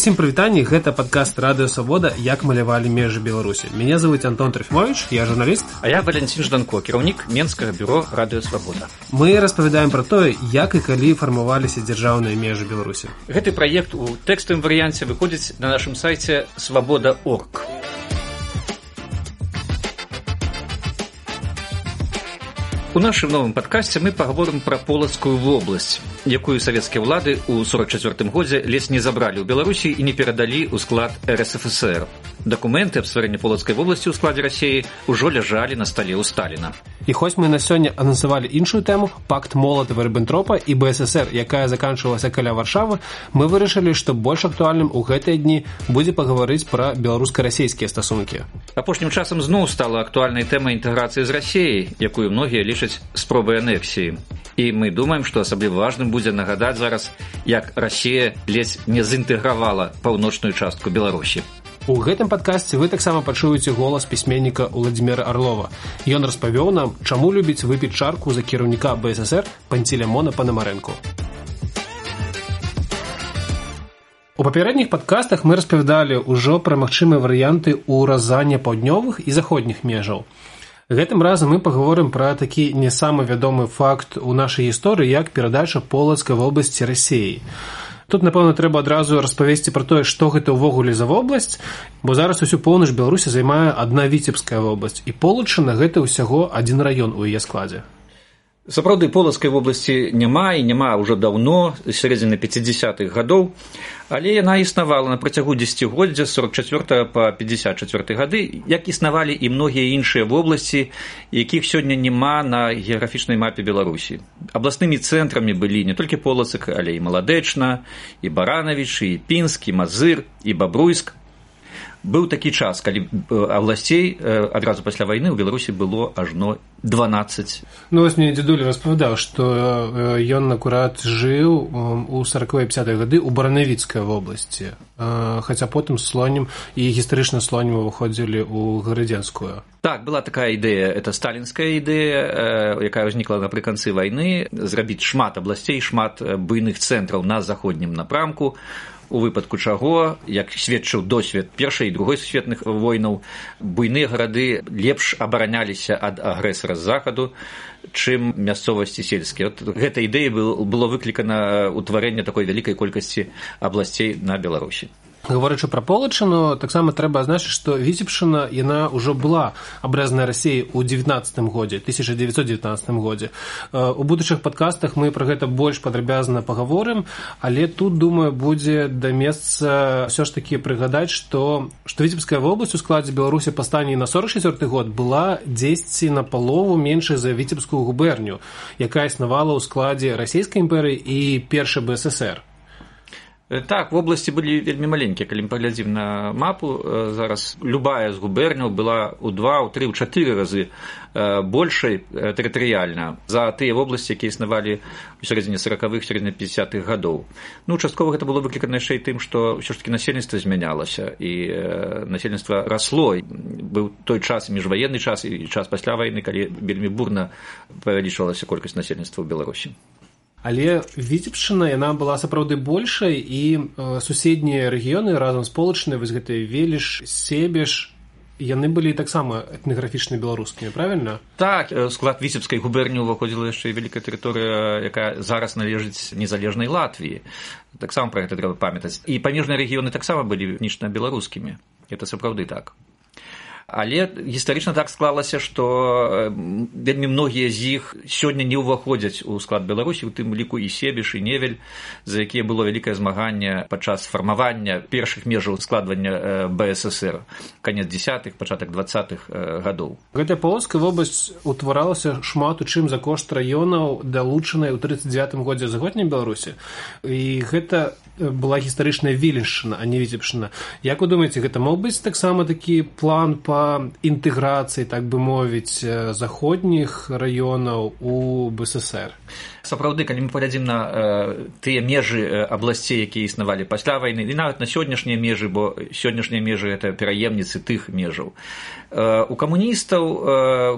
Усім прывітанні, гэта падкаст Радыё Свабода «Як малявалі межы Беларусі». Меня зовут Антон Трофимович, я журналіст. А я Валентин Жданко, кіраўнік Менскага бюро Радыё Свабода. Мы распавядаем пра тое, як і калі фармаваліся дзяржаўныя межы Беларусі. Гэты праект у тэкставым варыянце выходзіць на нашым сайце свабода.орг. У нашым новым падкасце мы паговорым пра Полацкую вобласць, якую савецкія ўлады ў 44-м годзе ледзь не забралі ў Беларусі і не перадалі ў склад РСФСР. Дакументы аб стварэнні Полацкай вобласці ў складзе Расіі ўжо ляжалі на стале ў Сталіна. І хоць мы на сёння анансавалі іншую тэму, пакт Молатава-Ріббентропа і БССР, якая заканчвалася каля Варшавы, мы вырашылі, што больш актуальным у гэтыя дні будзе пагаварыць пра беларуска-расейскія стасункі. Апошнім часам зноў стала актуальнай тэма інтэграцыі з Расіяй, якую многія лічаць спробай анексіі. І мы думаем, што асабліва важным будзе нагадаць зараз, як Расія ледзь не заінтэгравала паўночную частку Беларусі. У гэтым падкасці вы таксама пачуеце голас пісьменніка Уладзіміра Арлова. Ён распавёў нам, чаму любіць выпіць чарку за кіраўніка БССР Пантелеймона Панамарэнку. У папярэдніх падкастах мы распавядалі ўжо пра магчымыя варыянты ўразання паўднёвых і заходніх межаў. Гэтым разам мы паговорым пра такі не самы вядомы факт у нашай гісторыі, як перадача Полацкай вобласці Расіі. Тут, напэўна, трэба адразу распавесці пра тое, што гэта ўвогуле за вобласць, бо зараз усю поўнач Беларусі займае адна Віцебская вобласць, і Полачына гэта ўсяго адзін раён у яе складзе. Сапраўды, Полацкай вобласці няма і няма ўжо даўно, з сярэдзіны 50-х гадоў, але яна існавала на працягу дзесяцігоддзя з 44 па 54 гады, як існавалі і многія іншыя вобласці, якіх сёння няма на геаграфічнай мапе Беларусі. Абласнымі цэнтрамі былі не толькі Полацк, але і Маладэчна, і Баранавіч, і Пінск, і Мазыр, і Бабруйск. Быў такі час, калі абласцей адразу пасля вайны ў Беларусі было ажно 12. Ну, вось мне дзядуля распавядаў, што ён акурат жыў у 40-е 50-е гады ў Баранавіцкай вобласці, хаця потым слонем і гістарычна слонем выходзілі ў Гарадзенскую. Так, была такая ідэя, это сталінская ідэя, якая ўзнікла напрыканцы вайны, зрабіць шмат абласцей, шмат буйных цэнтраў на заходнім напрамку, у выпадку чаго, як сведчыў досвед Першай і Другой сусветных войнаў, буйныя гарады лепш абараняліся ад агрэсара з захаду, чым мясцовасці сельскія. Гэта ідэя было выклікана ўтварэнне такой вялікай колькасці абласцей на Беларусі. Гаворачы пра Полачыну, таксама трэба адзначыць, што Віцебшчына, яна ўжо была абрэзаная Расіяй у 1919 годзе. У будучых падкастах мы пра гэта больш падрабязна паговорым, але тут, думаю, будзе да месца ўсё ж такі прыгадаць, што Віцебская вобласць у складзе Беларусі па стане на 44 год была дзесьці на палову меншай за Віцебскую губерню, якая існавала ў складзе Расійскай імперыі і Першай БССР. Так, вобласці былі вельмі маленькія, калі мы паглядзім на мапу, зараз любая з губерняў была ў 2, ў 3, ў 4 разы большай тэрытарыяльна за тыя вобласці, якія існавалі ў сярэдзіне 40-х, сярэдзіне 50-х гадоў. Ну, часткова гэта было выклікана яшчэ і тым, што ўсё ж такі насельніцтва змянялася, і насельніцтва расло. Быў той час, міжваенны час і час пасля вайны, калі вельмі бурна павялічвалася колькасць насельніцтва ў Беларусі. Але Віцебшчына, яна была сапраўды большай, і суседнія рэгіёны разам з Полачынай, вось гэтыя Веліш, Себеж, яны былі таксама этнаграфічна беларускімі, правільна? Так, склад Віцебскай губерні ўваходзіла яшчэ і вялікая тэрыторыя, якая зараз належыць незалежнай Латвіі. Таксама пра гэта трэба памятаць. І памежныя рэгіёны таксама былі этнічна беларускімі. Гэта сапраўды так. Але гістарычна так склалася, што вельмі многія з іх сёння не ўваходзяць у склад Беларусі, у тым ліку і Себеж, і Невель, за якія было вялікае змаганне падчас фармавання першых межаў складвання БССР, канец 10-х, пачатак 20-х гадоў. Гэтая Полацкая вобласць утваралася шмат у чым за кошт раёнаў, далучанай у 39-м годзе заходняй Беларусі. І гэта была гістарычная Віленшчына, а не Віцебшчына. Як вы думаеце, гэта мог быць таксама такі план па інтэграцыі, так бы мовіць, заходніх раёнаў у БССР? Сапраўды, калі мы паглядзім на тыя межы абласцей, якія існавалі пасля вайны, і нават на сённяшнія межы, бо сённяшнія межы гэта пераемніцы тых межаў. У камуністаў,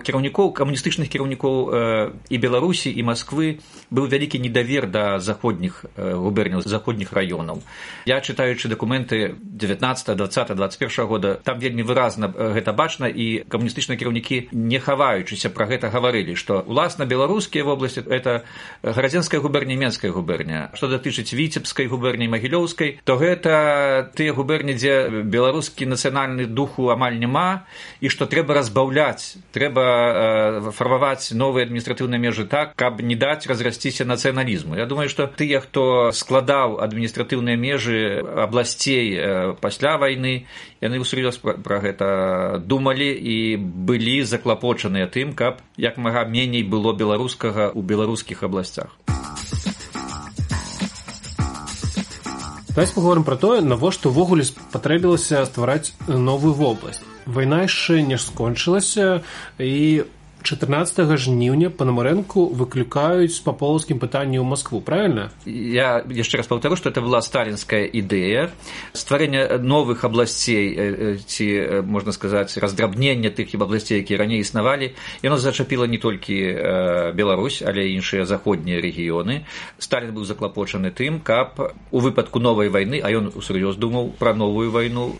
камуністычных кіраўнікоў і Беларусі, і Масквы быў вялікі недавер да заходніх губерняў, заходніх раёнаў. раёнаў. Я чытаючы дакументы 19, 20, 21 года, там вельмі выразна гэта бачна, і камуністычныя кіраўнікі, не хаваючыся, пра гэта гаварылі, што уласна беларускія вобласці это Гарадзенская губерня, Менская губерня. Што датычыць Віцебскай губерні, Магілёўскай, то гэта тыя губерні, дзе беларускі нацыянальны духу амаль няма, і што трэба разбаўляць, трэба фармаваць новыя адміністратыўныя межы так, каб не даць разрасціся нацыяналізму. Я думаю, што тыя, хто складаў адміністратыўныя межы абласцей пасля вайны, яны ўсур'ёз пра гэта думалі і былі заклапочаныя тым, каб як мага меней было беларускага ў беларускіх абласцях. Давайте паговорым пра тое, навошта ўвогуле патрэбілася ствараць новую вобласць. Вайна яшчэ не скончылася, і 14 жніўня Пономаренку выклікаюць па полацкім пытанні ў Москву, правильно? Я яшчэ раз паўтару, што это была сталінская ідэя стварэння новых абласцей, ці, можна сказаць, раздрабнення тых абласцей, якія раней існавалі. Яно зачапіла не толькі Беларусь, але і іншыя заходнія рэгіёны. Сталін быў заклапочаны тым, каб у выпадку новай вайны, а ён усур'ёз думаў пра новую вайну,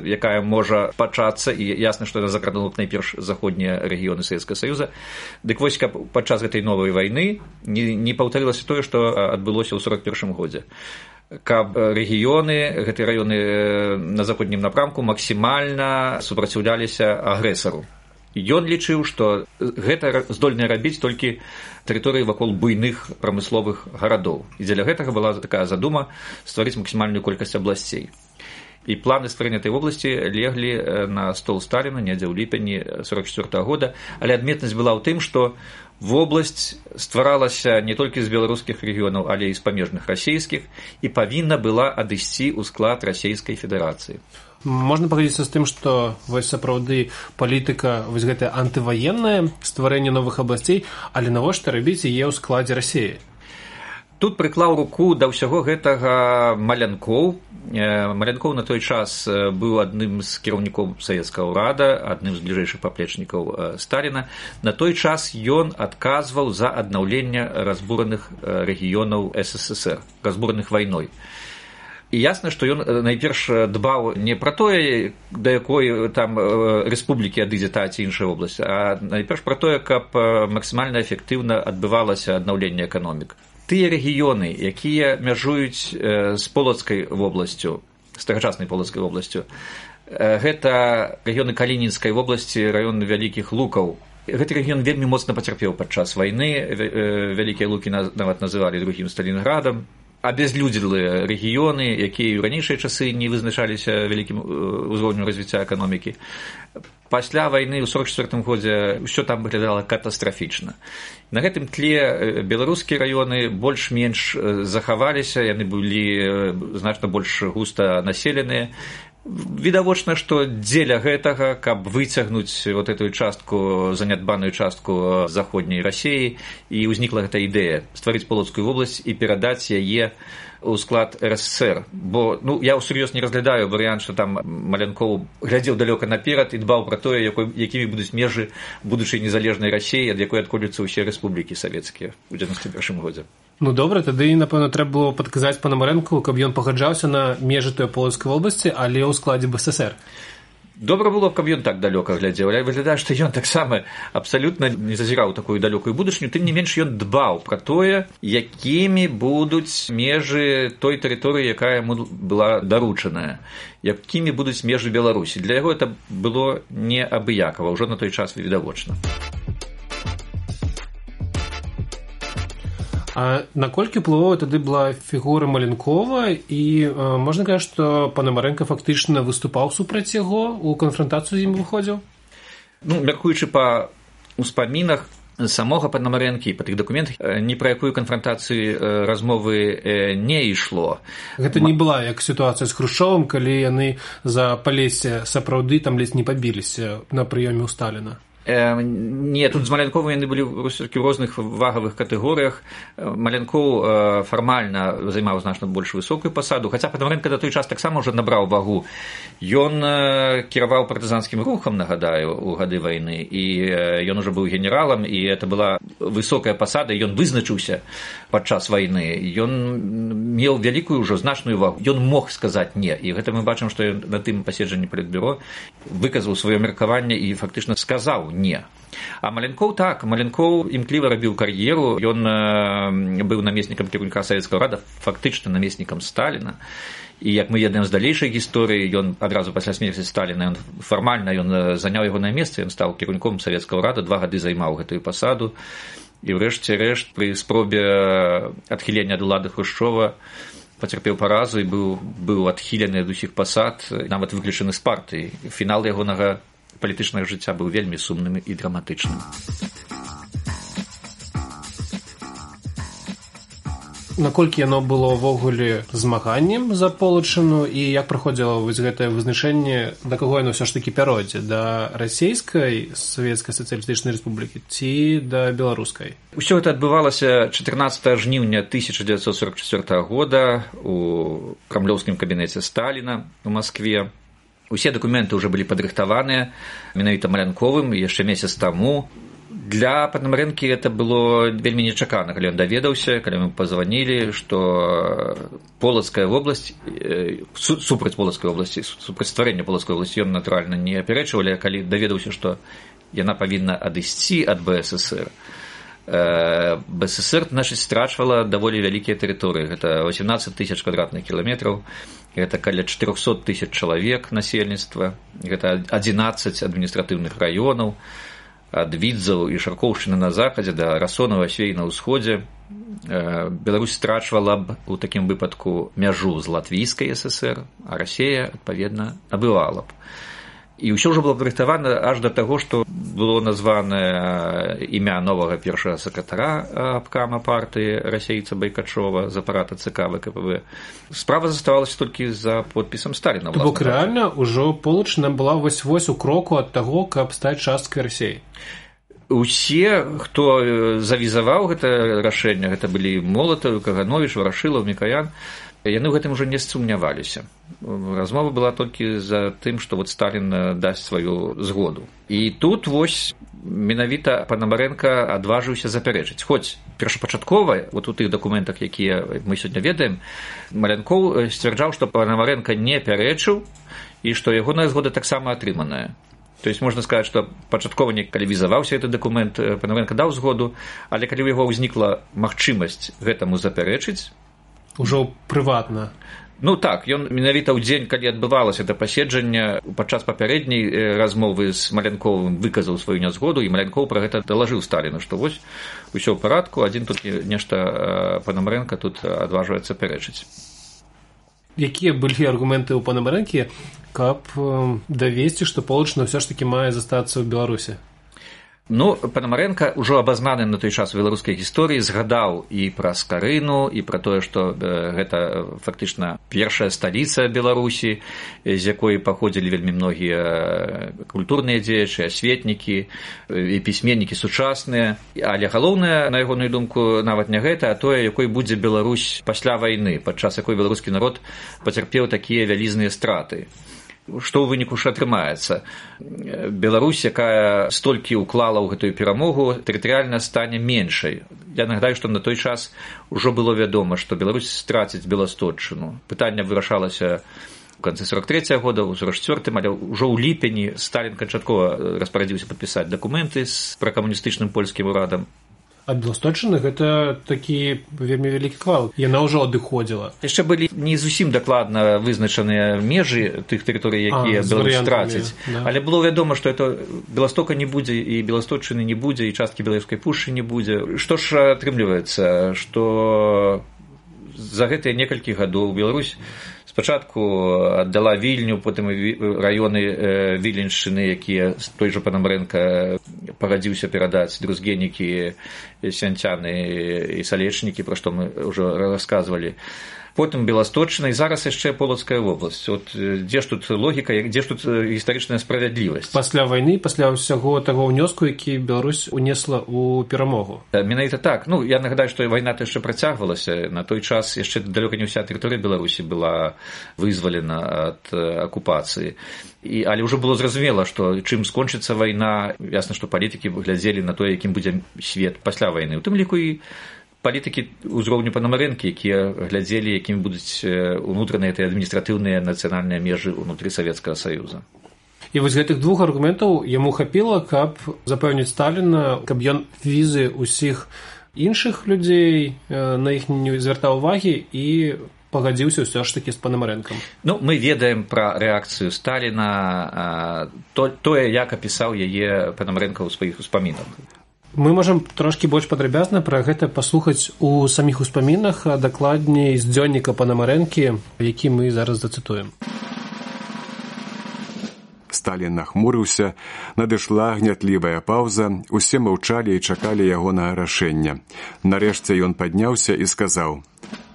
якая можа пачацца, і ясна, што яна закранула найперш заходнія рэгіёны Савецкага Саюза. Дык вось, каб падчас гэтай новай вайны не паўтарылася тое, што адбылося ў 41 годзе. Каб рэгіёны, гэтыя раёны на заходнім напрамку максімальна супраціўляліся агрэсару. Ён лічыў, што гэта здольныя рабіць толькі тэрыторыі вакол буйных прамысловых гарадоў. І дзеля гэтага была такая задума стварыць максімальную колькасць абласцей. І планы стварэння этой вобласці леглі на стол Сталіна недзе ў ліпені 44 года, але адметнасць была ў тым, што вобласць стваралася не толькі з беларускіх рэгіёнаў, але і з памежных расійскіх, і павінна была адысці ў склад Расійскай Федэрацыі. Можна пагадзіцца з тым, што вось сапраўды палітыка вось гэтая антываенная, стварэнне новых абласцей, але навошта рабіць яе ў складзе Расіі? Тут прыклаў руку да ўсяго гэтага Малянкоў. Малянкоў на той час быў адным з кіраўнікоў савецкага ўрада, адным з бліжэйшых паплечнікаў Сталіна. На той час ён адказваў за аднаўленне разбураных рэгіёнаў СССР, разбураных вайной. І ясна, што ён найперш дбаў не пра тое, да якой там рэспублікі адыдзе та ці іншая вобласць, а найперш пра тое, каб максімальна эфектыўна адбывалася аднаўленне эканомік. Тыя рэгіёны, якія мяжуюць з полацкай вобласцю, з тагачаснай полацкай вобласцю, гэта рэгіёны Калінінскай вобласці, раён Вялікіх Лукаў. Гэты рэгіён вельмі моцна пацярпеў падчас вайны, Вялікія Лукі нават называлі другім Сталінградам. Абязлюдзелыя рэгіёны, якія ў ранейшыя часы не вызначаліся вялікім узроўнем развіцця эканомікі. Пасля вайны ў 44 годзе ўсё там выглядала катастрафічна. На гэтым тле беларускія раёны больш-менш захаваліся, яны былі значна больш густа населеныя. Відавочна, што дзеля гэтага, каб выцягнуць вот эту частку, занядбаную частку заходняй Расіі, і ўзнікла гэта ідэя стварыць полацкую вобласць і перадаць яе у склад РСФСР. Бо я ўсур'ёз не разглядаю варыянт, што там Малянкоў глядзеў далёка наперад і дбаў пра тое, якімі будуць межы будучай незалежнай Расіі, ад якой адколюцца ўсе рэспублікі савецкія ў 91 годзе. Ну добра, тады, напэўна, трэба было падказаць Пономаренку, каб ён пагаджаўся на межы той полацкай вобласці, але ў складзе БССР. Добра было, каб ён так далёка глядзеў, але выглядае, што ён таксама абсалютна не зазіраў такую далёкую будучыню, тым не менш ён дбаў пра тое, якімі будуць межы той тэрыторыі, якая яму была даручаная, якімі будуць межы Беларусі. Для яго это было неабыякава, ўжо на той час відавочна. А наколькі ўплывовая тады была фігура Малянкова, і можна казаць, што Пономаренко фактычна выступаў супраць яго, у канфрантацыю з ім выходзіў? Мяркуючы па ўспамінах самога Пономаренкі, па тых дакументах, ні пра якую канфрантацыю размовы не ішло. Гэта не была як сітуацыя з Хрушчовым, калі яны за Палессе сапраўды там ледзь не пабіліся на прыёме ў Сталіна. Не, тут з Малянковым яны былі ў розных вагавых катэгорыях. Малянкоў фармальна займаў значна больш высокую пасаду, хаця Панамарэнка да той час таксама ўжо набраў вагу. Ён кіраваў партызанскім рухам, нагадаю, у гады вайны, і ён ужо быў генералам, і это была высокая пасада, ён вызначыўся падчас вайны. Ён меў вялікую ўжо значную вагу. Ён мог сказаць не, і гэта мы бачым, што ён на тым паседжанні палітбюро выказаў сваё меркаванне і фактычна сказаў не. А Малянкоў так, Малянкоў імкліва рабіў кар'еру, ён быў намеснікам кіраўніка Савецкага ўрада, фактычна намеснікам Сталіна. І як мы ведаем з далейшай гісторыі, ён адразу пасля смерці Сталіна, фармальна ён заняў ягонае месца, ён стаў кіраўніком Савецкага ўрада, 2 гады займаў гэтую пасаду, і ўрэшце рэшт пры спробе адхілення ад улады Хрушчова пацярпеў паразу і быў адхілены ад усіх пасад, нават выключаны з партыі. Фінал ягонага палітычнага жыцця быў вельмі сумным і драматычным. Наколькі яно было ўвогуле змаганнем за Полачыну і як праходзіла вось гэтае вызначэнне, да каго яно ўсё ж такі пяройдзе, да расійскай Савецкай сацыялістычнай рэспублікі ці да беларускай? Усё гэта адбывалася 14 жніўня 1944 года у крамлёўскім кабінеце Сталіна ў Маскве. Усе дакументы ўжо былі падрыхтаваныя менавіта Малянковым яшчэ месяц таму. Для Панамарэнкі это было вельмі нечакана, калі ён даведаўся, калі мы пазванілі, што Полацкая вобласць, супраць Полацкай вобласці, супраць стварэння Полацкай вобласці ён натуральна не апярэчваў, але калі даведаўся, што яна павінна адысці ад БССР. БССР, значыць, страчвала даволі вялікія тэрыторыі. Гэта 18 000 квадратных кіламетраў, гэта каля 400 000 чалавек насельніцтва, гэта 11 адміністратыўных раёнаў, ад Відзаў і Шаркоўшчыны на захадзе да Расонава свей на ўсходзе. Беларусь страчвала б у такім выпадку мяжу з Латвійскай ССР, а Расія, адпаведна, набывала б. І ўсё ўжо было падрыхтавана аж да таго, што было названае імя новага першага сакратара абкама партыі расейца Байкачова з апарата ЦК ВКПБ. Справа заставалася толькі за подпісам Сталіна. То бок рэальна ўжо Полачына была вось-вось у кроку ад таго, каб стаць часткай Расіі. Усе, хто завізаваў гэта рашэнне, гэта былі Молатаў, Кагановіч, Варашылаў, Мікаян, яны ў гэтым ужо не сумняваліся. Размова была толькі за тым, што вот Сталін дасць сваю згоду. І тут вось менавіта Панамарэнка адважыўся запярэчыць. Хоць першапачаткова, вот у тых дакументах, якія мы сёння ведаем, Малянкоў сцвярджаў, што Панамарэнка не пярэчыў і што ягоная згода таксама атрыманая. То есть можна сказаць, што пачаткова не калі візаваўся гэты дакумент, Панамарэнка даў згоду, але калі ў яго ўзнікла магчымасць гэтаму запярэчыць, ужо прыватна. Ну так, ён менавіта ў дзень, калі адбывалася это паседжанне, падчас папярэдняй размовы з Малянковым выказаў сваю нязгоду, і Малянкоў пра гэта далажыў Сталіну, што вось усё ў парадку, адзін тут нешта Панамарэнка тут адважваецца пярэчыць. Якія былі аргументы ў Панамарэнкі, каб давесці, што Полачына ўсё ж такі мае застацца ў Беларусі? Ну, Панамарэнка ўжо абазнаны на той час у беларускай гісторыі згадаў і пра Скарыну, і пра тое, што гэта фактычна першая сталіца Беларусі, з якой паходзілі вельмі многія культурныя дзеячы, асветнікі і пісьменнікі сучасныя. Але галоўнае, на ягоную думку, нават не гэта, а тое, якой будзе Беларусь пасля вайны, падчас якой беларускі народ пацярпеў такія вялізныя страты. Што ў выніку ж атрымаецца? Беларусь, якая столькі ўклала ў гэтую перамогу, тэрытарыяльна стане меншай. Я нагадаю, што на той час ужо было вядома, што Беларусь страціць Беласточчыну. Пытанне вырашалася ў канцы 43-го года, у 44-м, але ўжо ў ліпені Сталін канчаткова распарадзіўся падпісаць дакументы з пракамуністычным польскім урадам. А Беласточчына гэта такі вельмі вялікі кавалак. Яна ўжо адыходзіла. Яшчэ былі не зусім дакладна вызначаныя межы тых тэрыторый, якія Беларусь страціць. Да. Але было вядома, што это Беластока не будзе, і Беласточчыны не будзе, і часткі Беларускай пушчы не будзе. Што ж атрымліваецца, што за гэтыя некалькі гадоў Беларусь спачатку аддала Вільню, потым раёны Віленшчыны, якія той жа Панамарэнка пагадзіўся перадаць друзгенікі, сянцяны і салечнікі, пра што мы ўжо расказвалі. Потым Беласточчына і зараз яшчэ Полацкая вобласць. От дзе ж тут логіка, дзе ж тут гістарычная справядлівасць? Пасля вайны, пасля ўсяго таго ўнёску, які Беларусь унесла ў перамогу. Менавіта так. Ну, я нагадаю, што вайна-то яшчэ працягвалася. На той час яшчэ далёка не ўся тэрыторыя Беларусі была вызвалена ад акупацыі. Але ўжо было зразумела, што чым скончыцца вайна, ясна, што палітыкі глядзелі на тое, якім будзе свет пасля вайны. У тым ліку і палітыкі ўзроўню Панамарэнкі, якія глядзелі, якімі будуць унутраныя і адміністратыўныя нацыянальныя межы ўнутры Савецкага Саюза. І вось гэтых двух аргументаў яму хапіла, каб запэўніць Сталіна, каб ён візы ўсіх іншых людзей на іх не звяртаў увагі і пагадзіўся ўсё ж такі з Панамарэнкам. Ну, мы ведаем пра рэакцыю Сталіна, тое, як апісаў яе Панамарэнка ў сваіх успамінах. Мы можам трошкі больш падрабязна пра гэта паслухаць у саміх успамінах, а дакладней з дзённіка Панамарэнкі, які мы зараз зацытуем. Сталін нахмурыўся, надышла гнятлівая паўза, усе маўчалі і чакалі ягонага рашэння. Нарэшце ён падняўся і сказаў: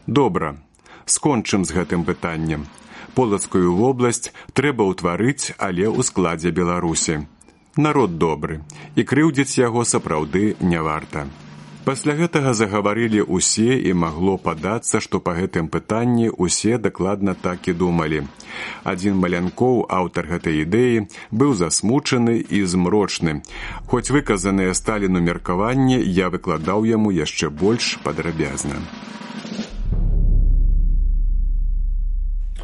«Добра, скончым з гэтым пытаннем. Полацкую вобласць трэба ўтварыць, але ў складзе Беларусі. Народ добры, і крыўдзіць яго сапраўды не варта». Пасля гэтага загаварылі ўсе, і магло падацца, што па гэтым пытанні ўсе дакладна так і думалі. Адзін Малянкоў, аўтар гэтай ідэі, быў засмучаны і змрочны. Хоць выказаныя Сталіну меркаванні я выкладаў яму яшчэ больш падрабязна.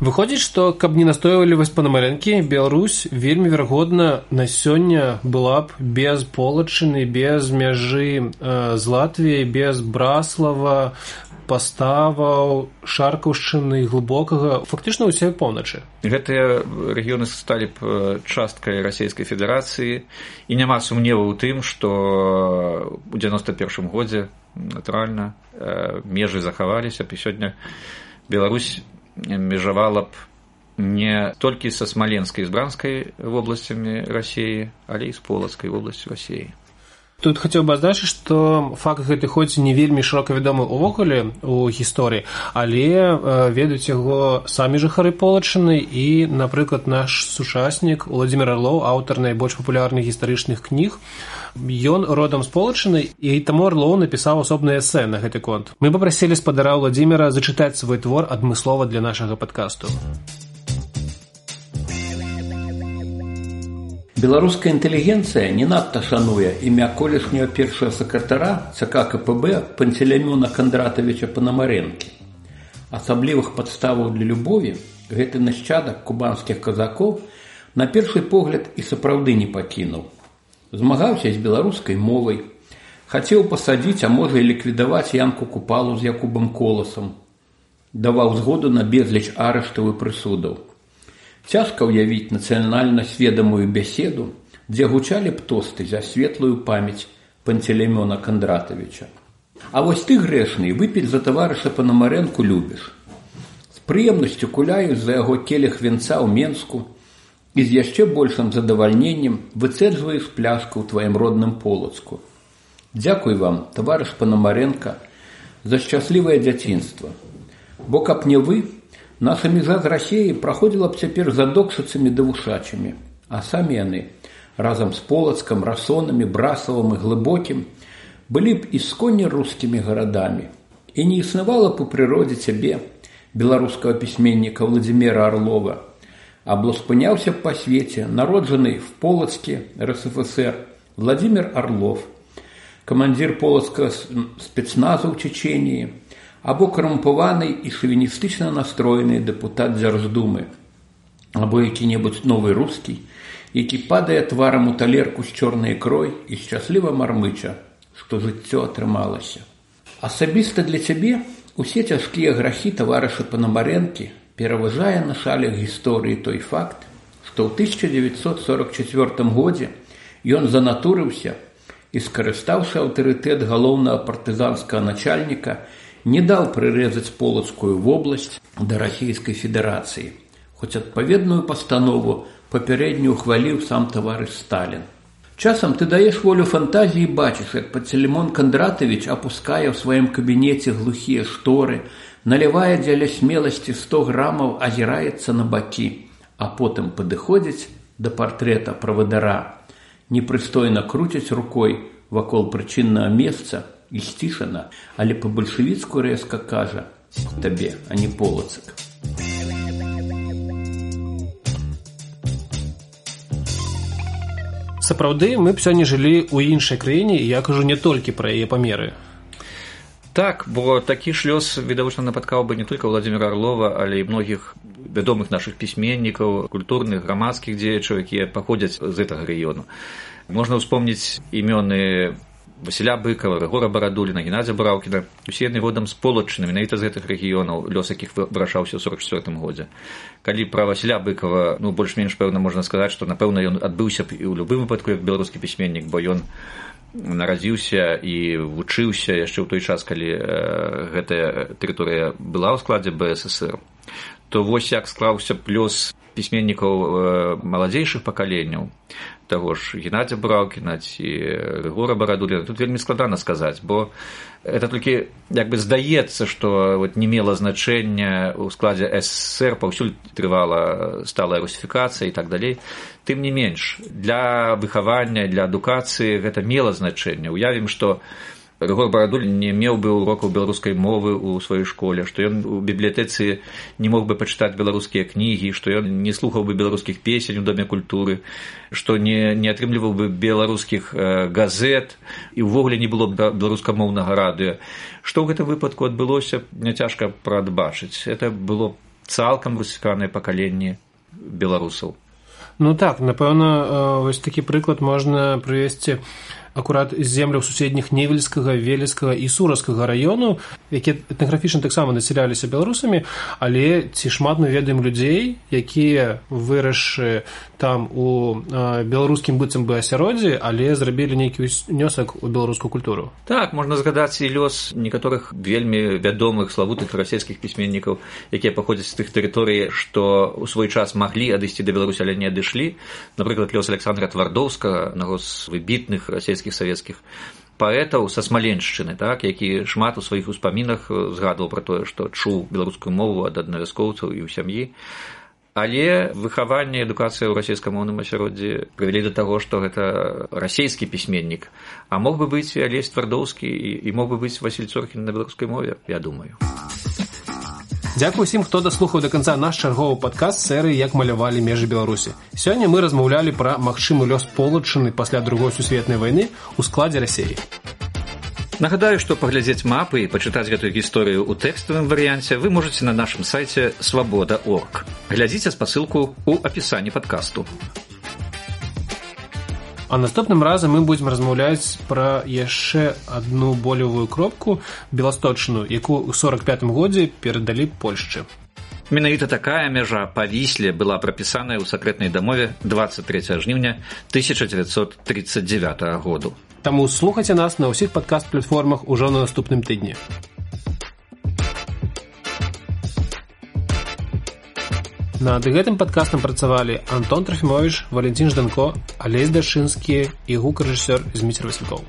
Выходзіць, што, каб не настойвалі вось Панамарэнкі, Беларусь вельмі верагодна на сёння была б без Полаччыны, без мяжы з Латвіяй, без Браслава, Паставаў, Шаркаўшчыны, Глыбокага, фактычна ўсёй поўначы. Гэтыя рэгіёны сталі б часткай Расійскай Федэрацыі, і няма сумневу ў тым, што ў 91 годзе, натуральна, межы захаваліся б, і сёння Беларусь межавала б не толькі са Смаленскай і Збранскай вобласцямі Расіі, але і з Полацкай вобласцю Расіі. Тут хацеў бы адзначыць, што факт гэты хоць не вельмі шырока вядомы ўвогуле ў гісторыі, але ведаюць яго самі жыхары Полаччыны і, напрыклад, наш сучаснік Уладзімір Арлоў, аўтар найбольш папулярных гістарычных кніг. Ён родам з Полаччыны, і таму Арлоў напісаў асобнае эсэ на гэты конт. Мы папрасілі спадара Уладзіміра зачытаць свой твор адмыслова для нашага падкасту. Беларуская інтэлігенцыя не надта шануе імя колішняго першага сакратара ЦК КПБ Пантелеймона Кандратавіча Панамарэнкі. Асаблівых падставаў для любові гэты нашчадак кубанскіх казакоў на першы погляд і сапраўды не пакінуў. Змагаўся з беларускай мовай, хацеў пасадзіць, а можа і ліквідаваць Янку Купалу з Якубам Коласам, даваў згоду на безліч арыштаў і прысудаў. Цяжка ўявіць нацыянальна сведамую бяседу, дзе гучалі б тосты за светлую памяць Пантелеймона Кандратавіча. А вось ты, грэшны, выпіць за таварыша Панамарэнку любіш. З прыемнасцю куляюць за яго келіх вінца ў Менску і з яшчэ большым задавальненнем выцэджваеш пляшку ў тваім родным Полацку. Дзякуй вам, таварыш Панамарэнка, за шчаслівае дзяцінства. Бо каб не вы, наша мяжа з Расіяй праходзіла б цяпер за докшыцамі ды вушачамі, а самі яны, разам з Полацкам, Расонамі, Брасавым і Глыбокім, былі б ісконне рускімі гарадамі. І не існавала б у прыродзе цябе, беларускага пісьменніка Владзіміра Арлова, або спыняўся б па свеце народжаны в Полацке РСФСР Владзімір Арлов, камандзір полацкага спецназу ў Чечении, або карумпаваны і шавіністычна настроены дэпутат Дзярждумы, або які-небудзь новы рускі, які падае тварам у талерку з чорнай ікрой і шчасліва мармыча, што жыццё атрымалася. Асабіста для цябе усе цяжкія грахі таварыша Панамарэнкі пераважае на шалях гісторыі той факт, што ў 1944 годзе ён занатурыўся і, скарыстаўшы аўтарытэт галоўнага партызанскага начальніка, не даў прырэзаць Полацкую вобласць да Расійскай Федэрацыі, хоць адпаведную пастанову папярэдню ухваліў сам таварыш Сталін. Часам ты даешь волю фантазии и бачишь, как Пантелеймон Кондратович опуская в своем кабинете глухие шторы, наливая дзеля смелости 100 граммов, озирается на баки, а потом подыходить до портрета правадара, непристойно крутить рукой вокол причинного места и стишина, але по-большевицку резко кажа «Тебе, а не Полоцк». Сапраўды, мы б сёння жылі ў іншай краіне, і я кажу не толькі пра яе памеры. Так, бо такі ж лёс, відавочна, напаткаў бы не толькі Владзіміра Арлова, але і многіх вядомых нашых пісьменнікаў, культурных, грамадскіх дзеячаў, якія паходзяць з гэтага рэгіёну. Можна ўспомніць імёны Васіля Быкава, Рыгора Барадуліна, Геннадзя Бураўкіна. Усе яны родам з Полаччыны, менавіта з гэтых рэгіёнаў, лёс якіх вырашаўся ў 1944 годзе. Калі пра Васіля Быкава, больш-менш, пэўна, можна сказаць, што, напэўна, ён адбыўся б і ў любым выпадку як беларускі пісьменнік, бо ён нарадзіўся і вучыўся яшчэ ў той час, калі гэтая тэрыторыя была ў складзе БССР. То вось як склаўся б лёс пісьменнікаў маладзейшых пакаленняў, таго ж Геннадзя Бураўкіна ці Рыгора Барадуліна, тут вельмі складана сказаць, бо это толькі як бы здаецца, што не мела значэння ў складзе СССР, паўсюль трывала сталая русіфікацыя і так далей. Тым не менш, для выхавання, для адукацыі гэта мела значэнне. Уявім, што Рыгор Барадулін не меў бы урокаў беларускай мовы ў сваёй школе, што ён у бібліятэцы не мог бы пачытаць беларускія кнігі, што ён не слухаў бы беларускіх песень у Доме культуры, што не атрымліваў бы беларускіх газет і ўвогуле не было б беларускамоўнага радыё. Што ў гэтым выпадку адбылося, няцяжка прадбачыць. Это было цалкам русіфікаванае пакаленне беларусаў. Ну так, напэўна, вось такі прыклад можна прывесці акурат з земляў суседніх Невельскага, Велескага і Сураскага раёну, якія этнаграфічна таксама насяляліся беларусамі, але ці шмат мы ведаем людзей, якія вырасшы там у беларускім быццам бы асяроддзі, але зрабілі нейкі ўнёсак у беларускую культуру. Так, можна згадаць і лёс некаторых вельмі вядомых славутых расійскіх пісьменнікаў, якія паходзяць з тых тэрыторый, што ў свой час маглі адысці да Беларусі, але не адышлі. Напрыклад, лёс Александра Твардоўскага, аднаго з выбітных расійскіх савецкіх паэтаў са Смаленшчыны, так, які шмат у сваіх успамінах згадваў пра тое, што чуў беларускую мову ад аднавяскоўцаў і ў сям'і. Але выхаванне і адукацыя ў расійскамоўным асяроддзі прывялі да таго, што гэта расійскі пісьменнік, а мог бы быць і Алесь Твардоўскі, і мог бы быць Васіль Цоркін на беларускай мове, я думаю. Дзякуй усім, хто даслухаў да канца наш чарговы падкаст серыі «Як малявалі межы Беларусі». Сёння мы размаўлялі пра магчымы лёс Полаччыны пасля Другой сусветнай вайны ў складзе Расіі. Нагадаю, што паглядзець мапы і пачытаць гэтую гісторыю ў тэкставым варыянце вы можаце на нашым сайце свабода.орг. Глядзіце спасылку ў апісанні падкасту. А наступным разам мы будзем размаўляць пра яшчэ адну болевую кропку Беласточчыну, якую ў 1945 годзе перадалі Польшчы. Менавіта такая мяжа па Вісле была прапісаная ў сакрэтнай дамове 23 жніўня 1939 году. Таму слухайце нас на ўсіх падкаст-платформах ужо на наступным тыдні. Над гэтым падкастам працавалі Антон Трофімовіч, Валентин Жданко, Алесь Дашынскі і гукарэжысёр Зміцер Васількоў.